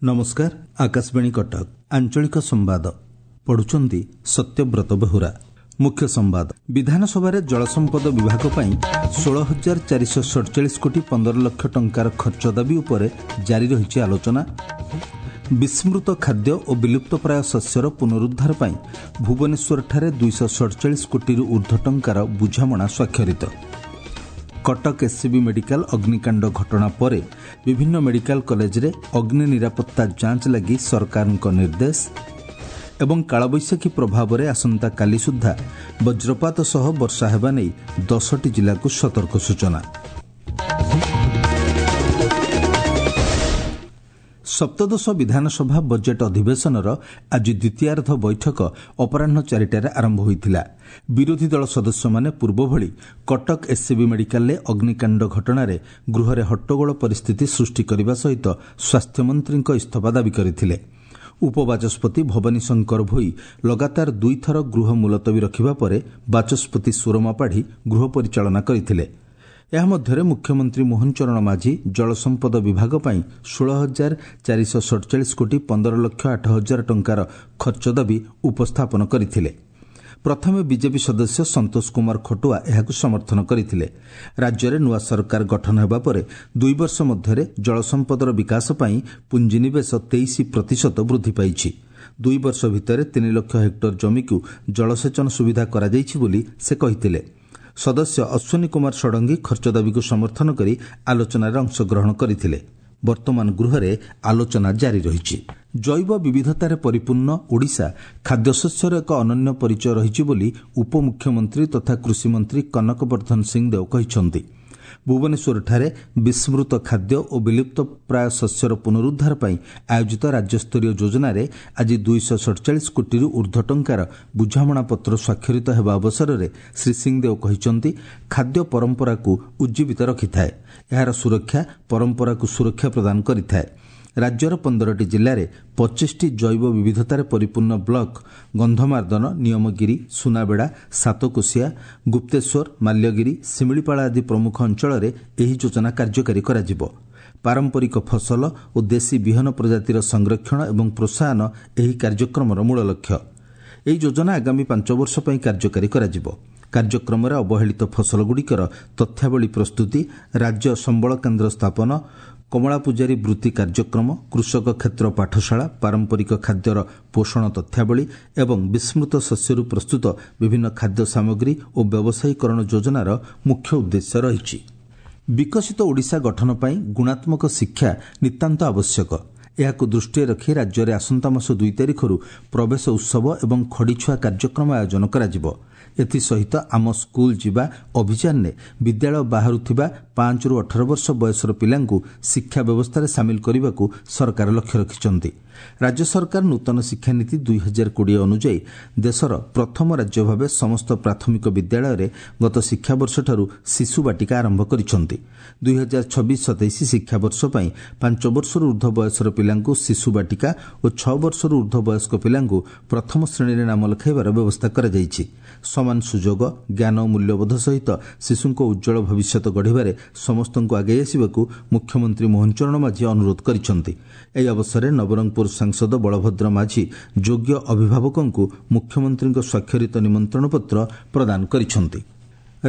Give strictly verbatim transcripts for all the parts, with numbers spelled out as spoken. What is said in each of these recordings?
ନମସ୍କାର, ଆକାଶବାଣୀ କଟକ, ଆଞ୍ଚଳିକ ସମ୍ବାଦ ପଢୁଛନ୍ତି ସତ୍ୟବ୍ରତ ବେହୁରା। ମୁଖ୍ୟ ସମ୍ବାଦ। ବିଧାନସଭାରେ ଜଳସମ୍ପଦ ବିଭାଗ ପାଇଁ ଷୋହଳ ହଜାର ଚାରିଶହ ସଡ଼ଚାଳିଶ କୋଟି ପନ୍ଦର ଲକ୍ଷ ଟଙ୍କାର ଖର୍ଚ୍ଚ ଦାବି ଉପରେ ଜାରି ରହିଛି ଆଲୋଚନା। ବିସ୍ମୃତ ଖାଦ୍ୟ ଓ ବିଲୁପ୍ତପ୍ରାୟ ଶସ୍ୟର ପୁନରୁଦ୍ଧାର ପାଇଁ ଭୁବନେଶ୍ୱରଠାରେ ଦୁଇଶହ ସଡ଼ଚାଳିଶ କୋଟିରୁ ଉର୍ଦ୍ଧ୍ୱ ଟଙ୍କାର ବୁଝାମଣା ସ୍ୱାକ୍ଷରିତ। କଟକ ଏସ୍ସିବି ମେଡିକାଲ ଅଗ୍ନିକାଣ୍ଡ ଘଟଣା ପରେ ବିଭିନ୍ନ ମେଡିକାଲ କଲେଜରେ ଅଗ୍ନି ନିରାପତ୍ତା ଯାଞ୍ଚ ଲାଗି ସରକାରଙ୍କ ନିର୍ଦ୍ଦେଶ। ଏବଂ କାଳବୈଶାଖୀ ପ୍ରଭାବରେ ଆସନ୍ତାକାଲି ସୁଦ୍ଧା ବଜ୍ରପାତ ସହ ବର୍ଷା ହେବା ନେଇ ଦଶଟି ଜିଲ୍ଲାକୁ ସତର୍କ ସୂଚନା। ସପ୍ତଦଶ ବିଧାନସଭା ବଜେଟ୍ ଅଧିବେଶନର ଆଜି ଦ୍ୱିତୀୟାର୍ଦ୍ଧ ବୈଠକ ଅପରାହ୍ନ ଚାରିଟାରେ ଆରମ୍ଭ ହୋଇଥିଲା। ବିରୋଧୀ ଦଳ ସଦସ୍ୟମାନେ ପୂର୍ବଭଳି କଟକ ଏସ୍ସିବି ମେଡିକାଲରେ ଅଗ୍ନିକାଣ୍ଡ ଘଟଣାରେ ଗୃହରେ ହଟ୍ଟଗୋଳ ପରିସ୍ଥିତି ସୃଷ୍ଟି କରିବା ସହିତ ସ୍ୱାସ୍ଥ୍ୟମନ୍ତ୍ରୀଙ୍କ ଇସ୍ତଫା ଦାବି କରିଥିଲେ। ଉପବାଚସ୍ପତି ଭବାନୀ ଶଙ୍କର ଭୋଇ ଲଗାତାର ଦୁଇଥର ଗୃହ ମୁଲତବୀ ରଖିବା ପରେ ବାଚସ୍ପତି ସୁରମା ପାଢ଼ୀ ଗୃହ ପରିଚାଳନା କରିଥିଲେ। ଏହା ମଧ୍ୟରେ ମୁଖ୍ୟମନ୍ତ୍ରୀ ମୋହନ ଚରଣ ମାଝୀ ଜଳସମ୍ପଦ ବିଭାଗ ପାଇଁ ଷୋହଳ ହଜାର ଚାରିଶହ ସଡ଼ଚାଳିଶ କୋଟି ପନ୍ଦର ଲକ୍ଷ ଆଠ ହଜାର ଟଙ୍କାର ଖର୍ଚ୍ଚ ଦାବି ଉପସ୍ଥାପନ କରିଥିଲେ। ପ୍ରଥମେ ବିଜେପି ସଦସ୍ୟ ସନ୍ତୋଷ କୁମାର ଖଟୁଆ ଏହାକୁ ସମର୍ଥନ କରିଥିଲେ। ରାଜ୍ୟରେ ନୂଆ ସରକାର ଗଠନ ହେବା ପରେ ଦୁଇ ବର୍ଷ ମଧ୍ୟରେ ଜଳସମ୍ପଦର ବିକାଶ ପାଇଁ ପୁଞ୍ଜିନିବେଶ ତେଇଶ ପ୍ରତିଶତ ବୃଦ୍ଧି ପାଇଛି। ଦୁଇ ବର୍ଷ ଭିତରେ ତିନି ଲକ୍ଷ ହେକ୍ଟର ଜମିକୁ ଜଳସେଚନ ସୁବିଧା କରାଯାଇଛି ବୋଲି ସେ କହିଥିଲେ। ସଦସ୍ୟ ଅଶ୍ୱିନୀ କୁମାର ଷଡ଼ଙ୍ଗୀ ଖର୍ଚ୍ଚ ଦାବିକୁ ସମର୍ଥନ କରି ଆଲୋଚନାରେ ଅଂଶଗ୍ରହଣ କରିଥିଲେ। ବର୍ତ୍ତମାନ ଗୃହରେ ଆଲୋଚନା ଜାରି ରହିଛି। ଜୈବ ବିବିଧତାରେ ପରିପୂର୍ଣ୍ଣ ଓଡ଼ିଶା ଖାଦ୍ୟଶସ୍ୟର ଏକ ଅନନ୍ୟ ପରିଚୟ ରହିଛି ବୋଲି ଉପମୁଖ୍ୟମନ୍ତ୍ରୀ ତଥା କୃଷିମନ୍ତ୍ରୀ କନକ ବର୍ଦ୍ଧନ ସିଂଦେଓ କହିଛନ୍ତି। ଭୁବନେଶ୍ୱରଠାରେ ବିସ୍ମୃତ ଖାଦ୍ୟ ଓ ବିଲୁପ୍ତ ପ୍ରାୟ ଶସ୍ୟର ପୁନରୁଦ୍ଧାର ପାଇଁ ଆୟୋଜିତ ରାଜ୍ୟସ୍ତରୀୟ ଯୋଜନାରେ ଆଜି ଦୁଇଶହ ସଡ଼ଚାଳିଶ କୋଟିରୁ ଉର୍ଦ୍ଧ୍ୱ ଟଙ୍କାର ବୁଝାମଣାପତ୍ର ସ୍ୱାକ୍ଷରିତ ହେବା ଅବସରରେ ଶ୍ରୀ ସିଂଦେଓ କହିଛନ୍ତି, ଖାଦ୍ୟ ପରମ୍ପରାକୁ ଉଜ୍ଜୀବିତ ରଖିଥାଏ, ଏହାର ସୁରକ୍ଷା ପରମ୍ପରାକୁ ସୁରକ୍ଷା ପ୍ରଦାନ କରିଥାଏ। ରାଜ୍ୟର ପନ୍ଦରଟି ଜିଲ୍ଲାରେ ପଚିଶଟି ଜୈବ ବିବିଧତାରେ ପରିପୂର୍ଣ୍ଣ ବ୍ଲକ ଗନ୍ଧମାର୍ଦ୍ଦନ, ନିୟମଗିରି, ସୁନାବେଡ଼ା, ସାତକୋଶିଆ, ଗୁପ୍ତେଶ୍ୱର, ମାଲ୍ୟଗିରି, ଶିମିଳିପାଳ ଆଦି ପ୍ରମୁଖ ଅଞ୍ଚଳରେ ଏହି ଯୋଜନା କାର୍ଯ୍ୟକାରୀ କରାଯିବ। ପାରମ୍ପରିକ ଫସଲ ଓ ଦେଶୀ ବିହନ ପ୍ରଜାତିର ସଂରକ୍ଷଣ ଏବଂ ପ୍ରୋତ୍ସାହନ ଏହି କାର୍ଯ୍ୟକ୍ରମର ମୂଳ ଲକ୍ଷ୍ୟ। ଏହି ଯୋଜନା ଆଗାମୀ ପାଞ୍ଚ ବର୍ଷ ପାଇଁ କାର୍ଯ୍ୟକାରୀ କରାଯିବ। କାର୍ଯ୍ୟକ୍ରମରେ ଅବହେଳିତ ଫସଲଗୁଡ଼ିକର ତଥ୍ୟାବଳୀ ପ୍ରସ୍ତୁତି, ରାଜ୍ୟ ସମ୍ବଳ କେନ୍ଦ୍ର ସ୍ଥାପନ, କମଳା ପୂଜାରୀ ବୃତ୍ତି କାର୍ଯ୍ୟକ୍ରମ, କୃଷକ କ୍ଷେତ୍ର ପାଠଶାଳା, ପାରମ୍ପରିକ ଖାଦ୍ୟର ପୋଷଣ ତଥ୍ୟାବଳୀ ଏବଂ ବିସ୍ମୃତ ଶସ୍ୟରୁ ପ୍ରସ୍ତୁତ ବିଭିନ୍ନ ଖାଦ୍ୟ ସାମଗ୍ରୀ ଓ ବ୍ୟବସାୟୀକରଣ ଯୋଜନାର ମୁଖ୍ୟ ଉଦ୍ଦେଶ୍ୟ ରହିଛି। ବିକଶିତ ଓଡ଼ିଶା ଗଠନ ପାଇଁ ଗୁଣାତ୍ମକ ଶିକ୍ଷା ନିତାନ୍ତ ଆବଶ୍ୟକ। ଏହାକୁ ଦୃଷ୍ଟିରେ ରଖି ରାଜ୍ୟରେ ଆସନ୍ତା ମାସ ଦୁଇ ତାରିଖରୁ ପ୍ରବେଶ ଉତ୍ସବ ଏବଂ ଖଡ଼ିଛୁଆ କାର୍ଯ୍ୟକ୍ରମ ଆୟୋଜନ କରାଯିବ। ଏଥିସହିତ ଆମ ସ୍କୁଲ ଯିବା ଅଭିଯାନରେ ବିଦ୍ୟାଳୟ ବାହାରୁଥିବା ପାଞ୍ଚରୁ ଅଠର ବର୍ଷ ବୟସର ପିଲାଙ୍କୁ ଶିକ୍ଷା ବ୍ୟବସ୍ଥାରେ ସାମିଲ କରିବାକୁ ସରକାର ଲକ୍ଷ୍ୟ ରଖିଛନ୍ତି। ରାଜ୍ୟ ସରକାର ନୂତନ ଶିକ୍ଷାନୀତି ଦୁଇ ହଜାର କୋଡ଼ିଏ ଅନୁଯାୟୀ ଦେଶର ପ୍ରଥମ ରାଜ୍ୟ ଭାବେ ସମସ୍ତ ପ୍ରାଥମିକ ବିଦ୍ୟାଳୟରେ ଗତ ଶିକ୍ଷାବର୍ଷଠାରୁ ଶିଶୁ ବାଟିକା ଆରମ୍ଭ କରିଛନ୍ତି। ଦୁଇ ହଜାର ଛବିଶ ସତେଇଶ ଶିକ୍ଷାବର୍ଷ ପାଇଁ ପାଞ୍ଚ ବର୍ଷରୁ ଉର୍ଦ୍ଧ୍ୱ ବୟସର ପିଲାଙ୍କୁ ଶିଶୁ ବାଟିକା ଓ ଛଅ ବର୍ଷରୁ ଉର୍ଦ୍ଧ୍ୱ ବୟସ୍କ ପିଲାଙ୍କୁ ପ୍ରଥମ ଶ୍ରେଣୀରେ ନାମ ଲେଖାଇବାର ବ୍ୟବସ୍ଥା କରାଯାଇଛି। ସମାନ ସୁଯୋଗ, ଜ୍ଞାନ ଓ ମୂଲ୍ୟବୋଧ ସହିତ ଶିଶୁଙ୍କ ଉଜ୍ଜ୍ୱଳ ଭବିଷ୍ୟତ ଗଢ଼ିବାରେ ସମସ୍ତଙ୍କୁ ଆଗେଇ ଆସିବାକୁ ମୁଖ୍ୟମନ୍ତ୍ରୀ ମୋହନ ଚରଣ ମାଝୀ ଅନୁରୋଧ କରିଛନ୍ତି। ଏହି ଅବସରରେ ନବରଙ୍ଗପୁର ସାଂସଦ ବଳଭଦ୍ର ମାଝୀ ଯୋଗ୍ୟ ଅଭିଭାବକଙ୍କୁ ମୁଖ୍ୟମନ୍ତ୍ରୀଙ୍କ ସ୍ୱାକ୍ଷରିତ ନିମନ୍ତ୍ରଣ ପତ୍ର ପ୍ରଦାନ କରିଛନ୍ତି।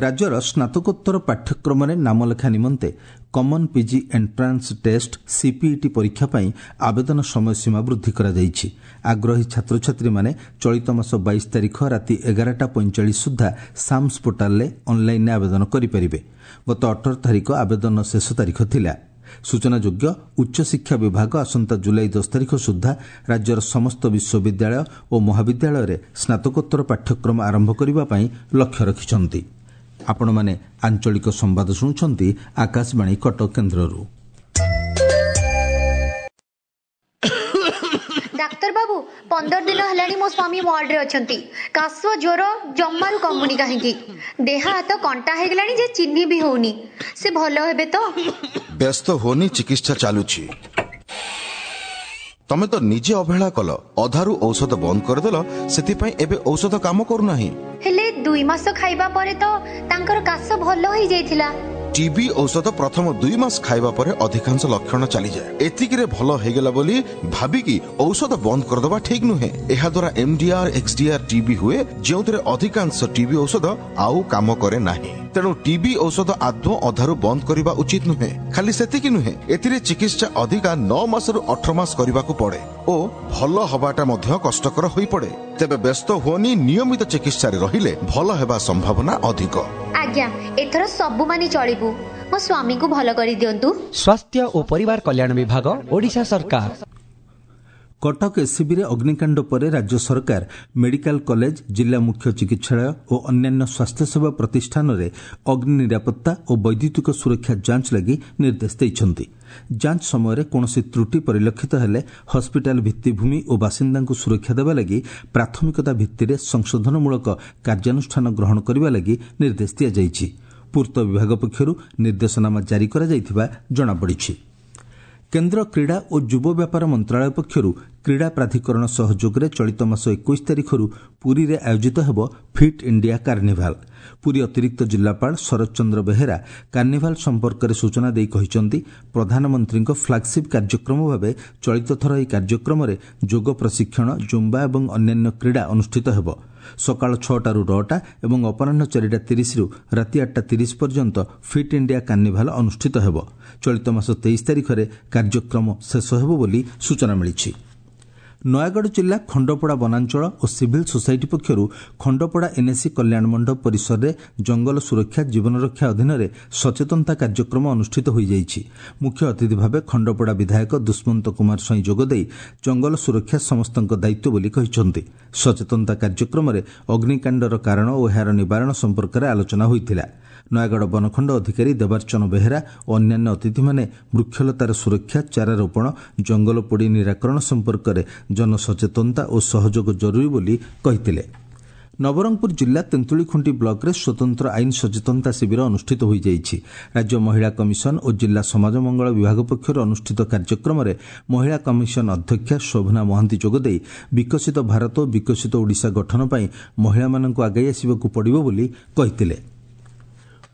ରାଜ୍ୟର ସ୍ନାତକୋତ୍ତର ପାଠ୍ୟକ୍ରମରେ ନାମଲେଖା ନିମନ୍ତେ common PG entrance test CPET ପରୀକ୍ଷା ପାଇଁ ଆବେଦନ ସମୟସୀମା ବୃଦ୍ଧି କରାଯାଇଛି। ଆଗ୍ରହୀ ଛାତ୍ରଛାତ୍ରୀମାନେ ଚଳିତ ମାସ ବାଇଶ ତାରିଖ ରାତି ଏଗାରଟା ପଇଁଚାଳିଶ ସୁଦ୍ଧା ସାମ୍ସ ପୋର୍ଟାଲରେ ଅନ୍ଲାଇନ୍ରେ ଆବେଦନ କରିପାରିବେ। ଗତ ଅଠର ତାରିଖ ଆବେଦନ ଶେଷ ତାରିଖ ଥିଲା। ସୂଚନାଯୋଗ୍ୟ, ଉଚ୍ଚଶିକ୍ଷା ବିଭାଗ ଆସନ୍ତା ଜୁଲାଇ ଦଶ ତାରିଖ ସୁଦ୍ଧା ରାଜ୍ୟର ସମସ୍ତ ବିଶ୍ୱବିଦ୍ୟାଳୟ ଓ ମହାବିଦ୍ୟାଳୟରେ ସ୍ନାତକୋତ୍ତର ପାଠ୍ୟକ୍ରମ ଆରମ୍ଭ କରିବା ପାଇଁ ଲକ୍ଷ୍ୟ ରଖିଛନ୍ତି। ଆପଣମାନେ ଆଞ୍ଚଳିକ ସମ୍ବାଦ ଶୁଣୁଛନ୍ତି ଆକାଶବାଣୀ କଟକ କେନ୍ଦ୍ରରୁ। ଡାକ୍ତର ବାବୁ, ପନ୍ଦର ଦିନ ହେଲାଣି ମୋ ସ୍ୱାମୀ ୱାର୍ଡରେ ଅଛନ୍ତି। କାଶ ଜ୍ୱର ଜମାରୁ କମୁନି କାହିଁକି? ଦେହ ହାତ କଣ୍ଟା ହେଇଗଲାଣି ଯେ ଚିହ୍ନି ବି ହଉନି। ସେ ଭଲ ହେବେ ତ? ବ୍ୟସ୍ତ ହୋନି, ଚିକିତ୍ସା ଚାଲୁଛି। ତମେ ତ ନିଜେ ଅବହେଳା କଲ, ଅଧାରୁ ଔଷଧ ବନ୍ଦ କରିଦେଲ, ସେଥିପାଇଁ ଏବେ ଔଷଧ କାମ କରୁନାହିଁ। ହେଲେ ଦୁଇ ମାସ ଖାଇବା ପରେ ତ ତାଙ୍କର କାଶ ଭଲ ହେଇଯାଇଥିଲା। ଟିବି ଔଷଧ ପ୍ରଥମ ଦୁଇ ମାସ ଖାଇବା ପରେ ଅଧିକାଂଶ ଲକ୍ଷଣ ଚାଲିଯାଏ। ଏତିକିରେ ଭଲ ହେଇଗଲା ବୋଲି ଭାବିକି ଔଷଧ ବନ୍ଦ କରିଦେବା ଠିକ୍ ନୁହେଁ। ଏହାଦ୍ୱାରା ଏମଡିଆର୍, ଏକ୍ସଡିଆର୍ ଟିବି ହୁଏ, ଯେଉଁଥିରେ ଅଧିକାଂଶ ଟିବି ଔଷଧ ଆଉ କାମ କରେ ନାହିଁ। ତେଣୁ ଟିବି ଔଷଧ ଆଦୌ ଅଧାରୁ ବନ୍ଦ କରିବା ଉଚିତ ନୁହେଁ। ଖାଲି ସେତିକି ନୁହେଁ, ଏଥିରେ ଚିକିତ୍ସା ଅଧିକା ନଅ ମାସରୁ ଅଠର ମାସ କରିବାକୁ ପଡେ ଓ ଭଲ ହବାଟା ମଧ୍ୟ କଷ୍ଟକର ହୋଇପଡେ। ତେବେ ବ୍ୟସ୍ତ ହୁଅନି, ନିୟମିତ ଚିକିତ୍ସାରେ ରହିଲେ ଭଲ ହେବା ସମ୍ଭାବନା ଅଧିକ। ଆଜ୍ଞା, ଏଥର ସବୁ ମାନି ଚଳିବୁ। ମୋ ସ୍ୱାମୀଙ୍କୁ ଭଲ କରିଦିଅନ୍ତୁ। ସ୍ୱାସ୍ଥ୍ୟ ଓ ପରିବାର କଲ୍ୟାଣ ବିଭାଗ, ଓଡ଼ିଶା ସରକାର। କଟକ ଏସ୍ସିବିରେ ଅଗ୍ନିକାଣ୍ଡ ପରେ ରାଜ୍ୟ ସରକାର ମେଡିକାଲ କଲେଜ, ଜିଲ୍ଲା ମୁଖ୍ୟ ଚିକିତ୍ସାଳୟ ଓ ଅନ୍ୟାନ୍ୟ ସ୍ୱାସ୍ଥ୍ୟସେବା ପ୍ରତିଷ୍ଠାନରେ ଅଗ୍ନି ନିରାପତ୍ତା ଓ ବୈଦ୍ୟୁତିକ ସୁରକ୍ଷା ଯାଞ୍ଚ ଲାଗି ନିର୍ଦ୍ଦେଶ ଦେଇଛନ୍ତି। ଯାଞ୍ଚ ସମୟରେ କୌଣସି ତ୍ରୁଟି ପରିଲକ୍ଷିତ ହେଲେ ହସ୍ପିଟାଲ ଭିତ୍ତିଭୂମି ଓ ବାସିନ୍ଦାଙ୍କୁ ସୁରକ୍ଷା ଦେବା ଲାଗି ପ୍ରାଥମିକତା ଭିତ୍ତିରେ ସଂଶୋଧନମୂଳକ କାର୍ଯ୍ୟାନୁଷ୍ଠାନ ଗ୍ରହଣ କରିବା ଲାଗି ନିର୍ଦ୍ଦେଶ ଦିଆଯାଇଛି। ପୂର୍ତ୍ତ ବିଭାଗ ପକ୍ଷରୁ ନିର୍ଦ୍ଦେଶନାମା ଜାରି କରାଯାଇଥିବା ଜଣାପଡ଼ିଛି। କେନ୍ଦ୍ର କ୍ରୀଡ଼ା ଓ ଯୁବ ବ୍ୟାପାର ମନ୍ତ୍ରଣାଳୟ ପକ୍ଷରୁ କ୍ରୀଡ଼ା ପ୍ରାଧିକରଣ ସହଯୋଗରେ ଚଳିତ ମାସ ଏକୋଇଶ ତାରିଖରୁ ପୁରୀରେ ଆୟୋଜିତ ହେବ ଫିଟ୍ ଇଣ୍ଡିଆ କାର୍ନିଭାଲ। ପୁରୀ ଅତିରିକ୍ତ ଜିଲ୍ଲାପାଳ ଶରତ ଚନ୍ଦ୍ର ବେହେରା କାର୍ନିଭାଲ ସମ୍ପର୍କରେ ସୂଚନା ଦେଇ କହିଛନ୍ତି, ପ୍ରଧାନମନ୍ତ୍ରୀଙ୍କ ଫ୍ଲାଗସିପ୍ କାର୍ଯ୍ୟକ୍ରମ ଭାବେ ଚଳିତ ଥର ଏହି କାର୍ଯ୍ୟକ୍ରମରେ ଯୋଗ ପ୍ରଶିକ୍ଷଣ, ଜୁମ୍ବା ଏବଂ ଅନ୍ୟାନ୍ୟ କ୍ରୀଡ଼ା ଅନୁଷ୍ଠିତ ହେବ। ସକାଳ ଛଅଟାରୁ ନଅଟା ଏବଂ ଅପରାହ୍ନ ଚାରିଟା ତିରିଶରୁ ରାତି ଆଠଟା ତିରିଶ ପର୍ଯ୍ୟନ୍ତ ଫିଟ୍ ଇଣ୍ଡିଆ କାର୍ନିଭାଲ ଅନୁଷ୍ଠିତ ହେବ। ଚଳିତ ମାସ ତେଇଶ ତାରିଖରେ କାର୍ଯ୍ୟକ୍ରମ ଶେଷ ହେବ ବୋଲି ସୂଚନା ମିଳିଛି। ନୟାଗଡ଼ ଜିଲ୍ଲା ଖଣ୍ଡପଡ଼ା ବନାଞ୍ଚଳ ଓ ସିଭିଲ୍ ସୋସାଇଟି ପକ୍ଷରୁ ଖଣ୍ଡପଡ଼ା ଏନ୍ଏସି କଲ୍ୟାଣ ମଣ୍ଡପ ପରିସରରେ ଜଙ୍ଗଲ ସୁରକ୍ଷା ଜୀବନରକ୍ଷା ଅଧୀନରେ ସଚେତନତା କାର୍ଯ୍ୟକ୍ରମ ଅନୁଷ୍ଠିତ ହୋଇଯାଇଛି। ମୁଖ୍ୟ ଅତିଥି ଭାବେ ଖଣ୍ଡପଡ଼ା ବିଧାୟକ ଦୁଷ୍ମନ୍ତ କୁମାର ସ୍ୱାଇଁ ଯୋଗଦେଇ ଜଙ୍ଗଲ ସୁରକ୍ଷା ସମସ୍ତଙ୍କ ଦାୟିତ୍ୱ ବୋଲି କହିଛନ୍ତି। ସଚେତନତା କାର୍ଯ୍ୟକ୍ରମରେ ଅଗ୍ନିକାଣ୍ଡର କାରଣ ଓ ଏହାର ନିବାରଣ ସମ୍ପର୍କରେ ଆଲୋଚନା ହୋଇଥିଲା। ନୟାଗଡ଼ ବନଖଣ୍ଡ ଅଧିକାରୀ ଦେବାର୍ଚ୍ଚନ ବେହେରା ଓ ଅନ୍ୟାନ୍ୟ ଅତିଥିମାନେ ବୃକ୍ଷଲତାର ସୁରକ୍ଷା, ଚାରାରୋପଣ, ଜଙ୍ଗଲ ପୋଡ଼ି ନିରାକରଣ ସମ୍ପର୍କରେ ଜନସଚେତନତା ଓ ସହଯୋଗ ଜରୁରୀ ବୋଲି କହିଥିଲେ। ନବରଙ୍ଗପୁର ଜିଲ୍ଲା ତେନ୍ତୁଳିଖୁଣ୍ଟି ବ୍ଲକରେ ସ୍ୱତନ୍ତ୍ର ଆଇନ ସଚେତନତା ଶିବିର ଅନୁଷ୍ଠିତ ହୋଇଯାଇଛି। ରାଜ୍ୟ ମହିଳା କମିଶନ ଓ ଜିଲ୍ଲା ସମାଜ ମଙ୍ଗଳ ବିଭାଗ ପକ୍ଷରୁ ଅନୁଷ୍ଠିତ କାର୍ଯ୍ୟକ୍ରମରେ ମହିଳା କମିଶନ ଅଧ୍ୟକ୍ଷା ଶୋଭନା ମହାନ୍ତି ଯୋଗଦେଇ ବିକଶିତ ଭାରତ ଓ ବିକଶିତ ଓଡ଼ିଶା ଗଠନ ପାଇଁ ମହିଳାମାନଙ୍କୁ ଆଗେଇ ଆସିବାକୁ ପଡ଼ିବ ବୋଲି କହିଥିଲେ।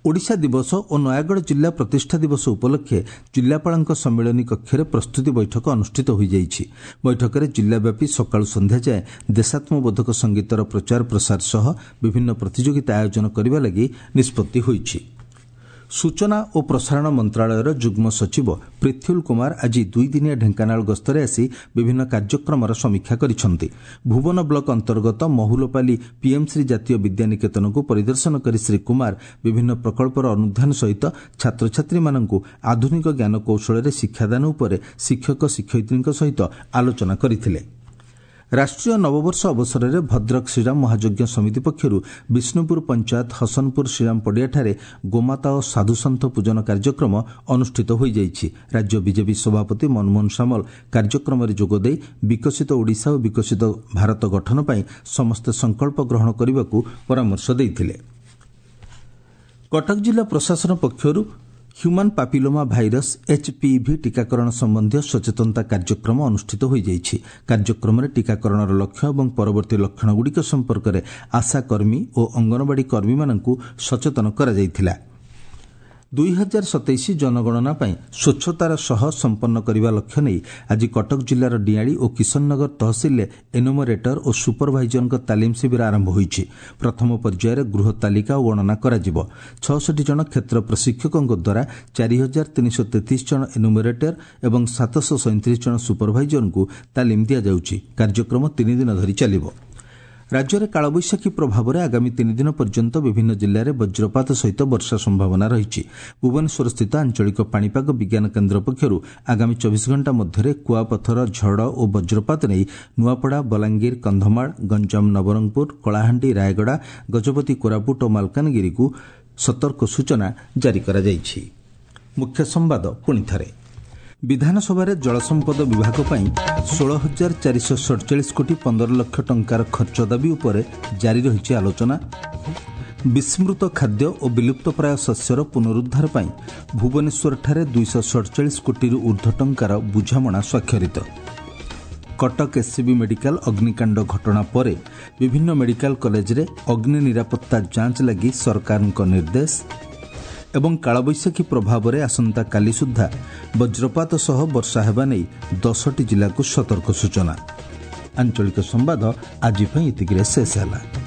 ଓଡ଼ିଶା ଦିବସ ଓ ନୟାଗଡ଼ ଜିଲ୍ଲା ପ୍ରତିଷ୍ଠା ଦିବସ ଉପଲକ୍ଷେ ଜିଲ୍ଲାପାଳଙ୍କ ସମ୍ମିଳନୀ କକ୍ଷରେ ପ୍ରସ୍ତୁତି ବୈଠକ ଅନୁଷ୍ଠିତ ହୋଇଯାଇଛି। ବୈଠକରେ ଜିଲ୍ଲାବ୍ୟାପୀ ସକାଳୁ ସନ୍ଧ୍ୟା ଯାଏଁ ଦେଶାତ୍ମବୋଧକ ସଙ୍ଗୀତର ପ୍ରଚାର ପ୍ରସାର ସହ ବିଭିନ୍ନ ପ୍ରତିଯୋଗିତା ଆୟୋଜନ କରିବା ଲାଗି ନିଷ୍ପତ୍ତି ହୋଇଛି। ସୂଚନା ଓ ପ୍ରସାରଣ ମନ୍ତ୍ରଣାଳୟର ଯୁଗ୍ମ ସଚିବ ପ୍ରିଥ୍ୟୁଲ କୁମାର ଆଜି ଦୁଇଦିନିଆ ଢେଙ୍କାନାଳ ଗସ୍ତରେ ଆସି ବିଭିନ୍ନ କାର୍ଯ୍ୟକ୍ରମର ସମୀକ୍ଷା କରିଛନ୍ତି। ଭୁବନ ବ୍ଲକ ଅନ୍ତର୍ଗତ ମହୁଲପାଲି ପିଏମ୍ଶ୍ରୀ ଜାତୀୟ ବିଦ୍ୟାନିକେତନକୁ ପରିଦର୍ଶନ କରି ଶ୍ରୀ କୁମାର ବିଭିନ୍ନ ପ୍ରକଳ୍ପର ଅନୁଧ୍ୟାନ ସହିତ ଛାତ୍ରଛାତ୍ରୀମାନଙ୍କୁ ଆଧୁନିକ ଜ୍ଞାନକୌଶଳରେ ଶିକ୍ଷାଦାନ ଉପରେ ଶିକ୍ଷକ ଶିକ୍ଷୟିତ୍ରୀଙ୍କ ସହିତ ଆଲୋଚନା କରିଥିଲେ। ରାଷ୍ଟ୍ରୀୟ ନବବର୍ଷ ଅବସରରେ ଭଦ୍ରକ ଶ୍ରୀରାମ ମହାଯଜ୍ଞ ସମିତି ପକ୍ଷରୁ ବିଷ୍ଣୁପୁର ପଞ୍ଚାୟତ ହସନପୁର ଶ୍ରୀରାମ ପଡ଼ିଆଠାରେ ଗୋମାତା ଓ ସାଧୁସନ୍ଥ ପୂଜନ କାର୍ଯ୍ୟକ୍ରମ ଅନୁଷ୍ଠିତ ହୋଇଯାଇଛି। ରାଜ୍ୟ ବିଜେପି ସଭାପତି ମନମୋହନ ସାମଲ କାର୍ଯ୍ୟକ୍ରମରେ ଯୋଗଦେଇ ବିକଶିତ ଓଡ଼ିଶା ଓ ବିକଶିତ ଭାରତ ଗଠନ ପାଇଁ ସମସ୍ତେ ସଂକଳ୍ପ ଗ୍ରହଣ କରିବାକୁ ପରାମର୍ଶ ଦେଇଥିଲେ। କଟକ ଜିଲ୍ଲା ପ୍ରଶାସନ ପକ୍ଷରୁ ହ୍ୟୁମାନ୍ ପାପିଲୋମା ଭାଇରସ୍ ଏଚ୍ପିଭି ଟିକାକରଣ ସମ୍ବନ୍ଧୀୟ ସଚେତନତା କାର୍ଯ୍ୟକ୍ରମ ଅନୁଷ୍ଠିତ ହୋଇଯାଇଛି। କାର୍ଯ୍ୟକ୍ରମରେ ଟିକାକରଣର ଲକ୍ଷ୍ୟ ଏବଂ ପରବର୍ତ୍ତୀ ଲକ୍ଷଣଗୁଡ଼ିକ ସମ୍ପର୍କରେ ଆଶାକର୍ମୀ ଓ ଅଙ୍ଗନବାଡ଼ି କର୍ମୀମାନଙ୍କୁ ସଚେତନ କରାଯାଇଥିଲା। ଦୁଇ ହଜାର ସତେଇଶ ଜନଗଣନା ପାଇଁ ସ୍ୱଚ୍ଛତାର ସହ ସମ୍ପନ୍ନ କରିବା ଲକ୍ଷ୍ୟ ନେଇ ଆଜି କଟକ ଜିଲ୍ଲାର ଡିଆଳି ଓ କିଶନନଗର ତହସିଲରେ ଏନୁମରେଟର ଓ ସୁପରଭାଇଜରଙ୍କ ତାଲିମ ଶିବିର ଆରମ୍ଭ ହୋଇଛି। ପ୍ରଥମ ପର୍ଯ୍ୟାୟରେ ଗୃହ ତାଲିକା ଓ ଗଣନା କରାଯିବ। ଛଅଷଠି ଜଣ କ୍ଷେତ୍ର ପ୍ରଶିକ୍ଷକଙ୍କ ଦ୍ୱାରା ଚାରି ହଜାର ତିନିଶହ ତେତିଶ ଜଣ ଏନୁମରେଟର ଏବଂ ସାତଶହ ସଇଁତିରିଶ ଜଣ ସୁପରଭାଇଜରଙ୍କୁ ତାଲିମ ଦିଆଯାଉଛି। କାର୍ଯ୍ୟକ୍ରମ ତିନି ଦିନ ଧରି ଚାଲିବ। ରାଜ୍ୟରେ କାଳବୈଶାଖୀ ପ୍ରଭାବରେ ଆଗାମୀ ତିନି ଦିନ ପର୍ଯ୍ୟନ୍ତ ବିଭିନ୍ନ ଜିଲ୍ଲାରେ ବଜ୍ରପାତ ସହିତ ବର୍ଷା ସମ୍ଭାବନା ରହିଛି। ଭୁବନେଶ୍ୱରସ୍ଥିତ ଆଞ୍ଚଳିକ ପାଣିପାଗ ବିଜ୍ଞାନ କେନ୍ଦ୍ର ପକ୍ଷରୁ ଆଗାମୀ ଚବିଶ ଘଣ୍ଟା ମଧ୍ୟରେ କୁଆପଥର, ଝଡ଼ ଓ ବଜ୍ରପାତ ନେଇ ନୂଆପଡ଼ା, ବଲାଙ୍ଗୀର, କନ୍ଧମାଳ, ଗଞ୍ଜାମ, ନବରଙ୍ଗପୁର, କଳାହାଣ୍ଡି, ରାୟଗଡ଼ା, ଗଜପତି, କୋରାପୁଟ ଓ ମାଲକାନଗିରିକୁ ସତର୍କ ସୂଚନା ଜାରି କରାଯାଇଛି। ମୁଖ୍ୟ ସମ୍ବାଦ ପୁଣିଥରେ। ବିଧାନସଭାରେ ଜଳସମ୍ପଦ ବିଭାଗ ପାଇଁ ଷୋହଳ ହଜାର ଚାରିଶହ ସଡ଼ଚାଳିଶ କୋଟି ପନ୍ଦର ଲକ୍ଷ ଟଙ୍କାର ଖର୍ଚ୍ଚ ଦାବି ଉପରେ ଜାରି ରହିଛି ଆଲୋଚନା। ବିସ୍ମୃତ ଖାଦ୍ୟ ଓ ବିଲୁପ୍ତପ୍ରାୟ ଶସ୍ୟର ପୁନରୁଦ୍ଧାର ପାଇଁ ଭୁବନେଶ୍ୱରଠାରେ ଦୁଇଶହ ସଡ଼ଚାଳିଶ କୋଟିରୁ ଉର୍ଦ୍ଧ୍ୱ ଟଙ୍କାର ବୁଝାମଣା ସ୍ୱାକ୍ଷରିତ। କଟକ ଏସ୍ସିବି ମେଡିକାଲ ଅଗ୍ନିକାଣ୍ଡ ଘଟଣା ପରେ ବିଭିନ୍ନ ମେଡିକାଲ କଲେଜରେ ଅଗ୍ନି ନିରାପତ୍ତା ଯାଞ୍ଚ ଲାଗି ସରକାରଙ୍କ ନିର୍ଦ୍ଦେଶ। ଏବଂ କାଳବୈଶାଖୀ ପ୍ରଭାବରେ ଆସନ୍ତାକାଲି ସୁଦ୍ଧା ବଜ୍ରପାତ ସହ ବର୍ଷା ହେବା ନେଇ ଦଶଟି ଜିଲ୍ଲାକୁ ସତର୍କ ସୂଚନା। ଆଞ୍ଚଳିକ ସମ୍ବାଦ ଆଜି ପାଇଁ ଏତିକିରେ ଶେଷ ହେଲା।